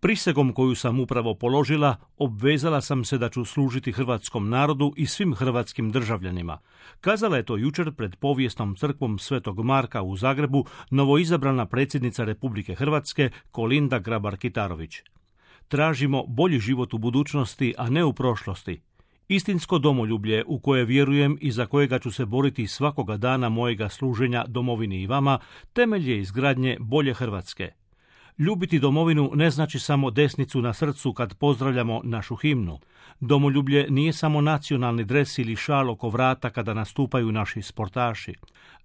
Prisegom koju sam upravo položila, obvezala sam se da ću služiti hrvatskom narodu i svim hrvatskim državljanima. Kazala je to jučer pred povijesnom crkvom Svetog Marka u Zagrebu novoizabrana predsjednica Republike Hrvatske Kolinda Grabar-Kitarović. Tražimo bolji život u budućnosti, a ne u prošlosti. Istinsko domoljublje u koje vjerujem i za kojega ću se boriti svakoga dana mojega služenja domovini i vama, temelj je izgradnje bolje Hrvatske. Ljubiti domovinu ne znači samo desnicu na srcu kad pozdravljamo našu himnu. Domoljublje nije samo nacionalni dres ili šal oko vrata kada nastupaju naši sportaši.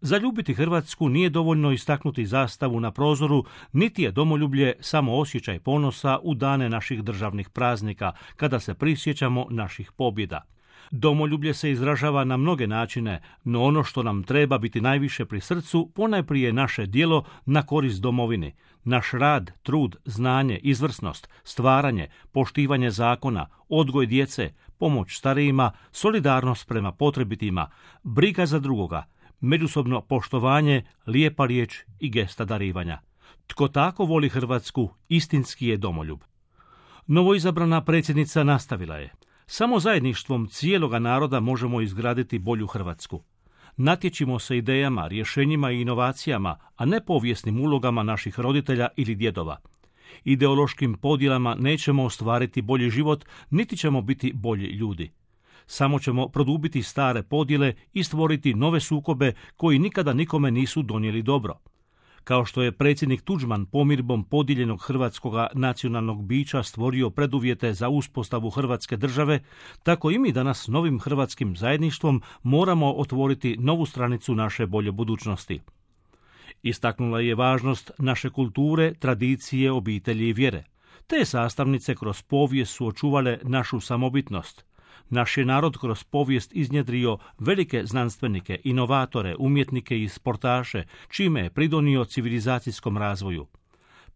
Zaljubiti Hrvatsku nije dovoljno istaknuti zastavu na prozoru, niti je domoljublje samo osjećaj ponosa u dane naših državnih praznika, kada se prisjećamo naših pobjeda. Domoljublje se izražava na mnoge načine, no ono što nam treba biti najviše pri srcu, ponajprije naše djelo na korist domovini. Naš rad, trud, znanje, izvrsnost, stvaranje, poštivanje zakona, odgoj djece, pomoć starijima, solidarnost prema potrebitima, briga za drugoga, međusobno poštovanje, lijepa riječ i gesta darivanja. Tko tako voli Hrvatsku, istinski je domoljub. Novoizabrana predsjednica nastavila je: samo zajedništvom cijeloga naroda možemo izgraditi bolju Hrvatsku. Natječimo se idejama, rješenjima i inovacijama, a ne povijesnim ulogama naših roditelja ili djedova. Ideološkim podjelama nećemo ostvariti bolji život, niti ćemo biti bolji ljudi. Samo ćemo produbiti stare podjele i stvoriti nove sukobe koji nikada nikome nisu donijeli dobro. Kao što je predsjednik Tuđman pomirbom podijeljenog hrvatskoga nacionalnog bića stvorio preduvjete za uspostavu Hrvatske države, tako i mi danas novim hrvatskim zajedništvom moramo otvoriti novu stranicu naše bolje budućnosti. Istaknula je važnost naše kulture, tradicije, obitelji i vjere. Te sastavnice kroz povijest su očuvale našu samobitnost. Naš je narod kroz povijest iznjedrio velike znanstvenike, inovatore, umjetnike i sportaše, čime je pridonio civilizacijskom razvoju.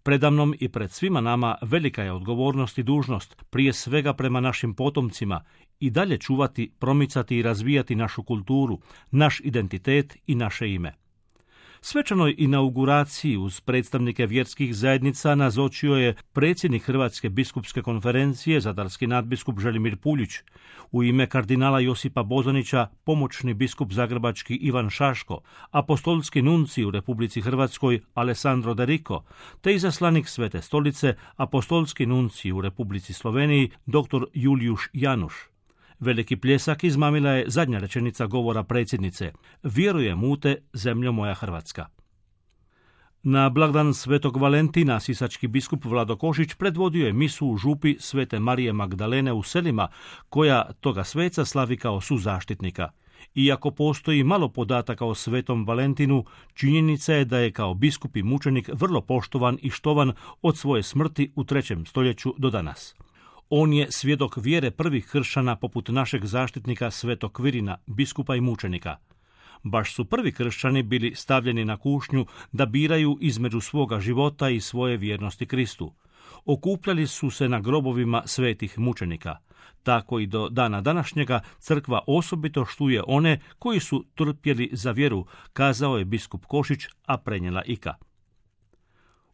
Predamnom i pred svima nama velika je odgovornost i dužnost, prije svega prema našim potomcima, i dalje čuvati, promicati i razvijati našu kulturu, naš identitet i naše ime. Svečanoj inauguraciji uz predstavnike vjerskih zajednica nazočio je predsjednik Hrvatske biskupske konferencije, zadarski nadbiskup Želimir Puljić. U ime kardinala Josipa Bozanića, pomoćni biskup zagrebački Ivan Šaško, apostolski nuncij u Republici Hrvatskoj Alessandro De Rico, te izaslanik Svete stolice, apostolski nuncij u Republici Sloveniji dr. Julijuš Januš. Veliki pljesak izmamila je zadnja rečenica govora predsjednice: vjerujem u te, zemljo moja Hrvatska. Na blagdan Svetog Valentina sisački biskup Vlado Košić predvodio je misu u župi Svete Marije Magdalene u Selima, koja toga sveca slavi kao suzaštitnika. Iako postoji malo podataka o Svetom Valentinu, činjenica je da je kao biskup i mučenik vrlo poštovan i štovan od svoje smrti u 3. stoljeću do danas. On je svjedok vjere prvih kršćana poput našeg zaštitnika Svetog Kvirina, biskupa i mučenika. Baš su prvi kršćani bili stavljeni na kušnju da biraju između svoga života i svoje vjernosti Kristu. Okupljali su se na grobovima svetih mučenika. Tako i do dana današnjega crkva osobito štuje one koji su trpjeli za vjeru, kazao je biskup Košić, a prenijela Ika.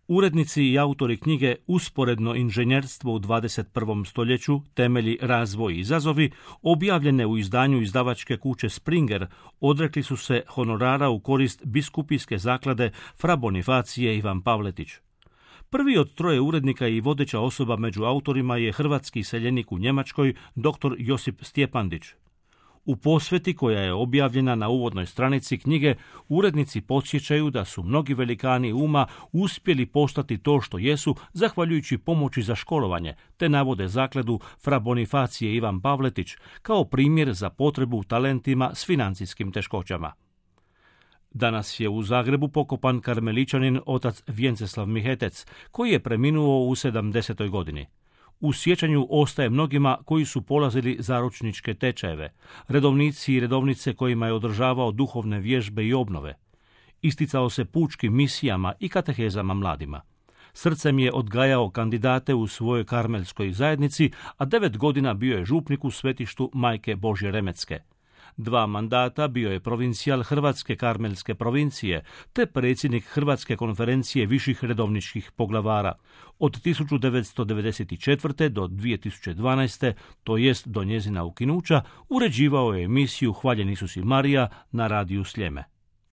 Urednici i autori knjige Usporedno inženjerstvo u 21. stoljeću, temelji, razvoj i izazovi, objavljene u izdanju izdavačke kuće Springer, odrekli su se honorara u korist biskupijske zaklade Fra Bonifacije Ivan Pavletić. Prvi od 3 urednika i vodeća osoba među autorima je hrvatski iseljenik u Njemačkoj dr. Josip Stjepandić. U posveti koja je objavljena na uvodnoj stranici knjige, urednici podsjećaju da su mnogi velikani uma uspjeli postati to što jesu zahvaljujući pomoći za školovanje, te navode zakladu Fra Bonifacije Ivan Pavletić kao primjer za potrebu talentima s financijskim teškoćama. Danas je u Zagrebu pokopan karmeličanin otac Vjenceslav Mihetec, koji je preminuo u 70. godini. U sjećanju ostaje mnogima koji su polazili zaručničke tečajeve, redovnici i redovnice kojima je održavao duhovne vježbe i obnove. Isticao se pučkim misijama i katehezama mladima. Srcem je odgajao kandidate u svojoj karmelskoj zajednici, a 9 godina bio je župnik u svetištu Majke Božje Remetske. 2 mandata bio je provincijal Hrvatske karmelske provincije, te predsjednik Hrvatske konferencije viših redovničkih poglavara. Od 1994. do 2012. to jest do njezina ukinuća, uređivao je emisiju Hvaljen Isus i Marija na radiju Sljeme.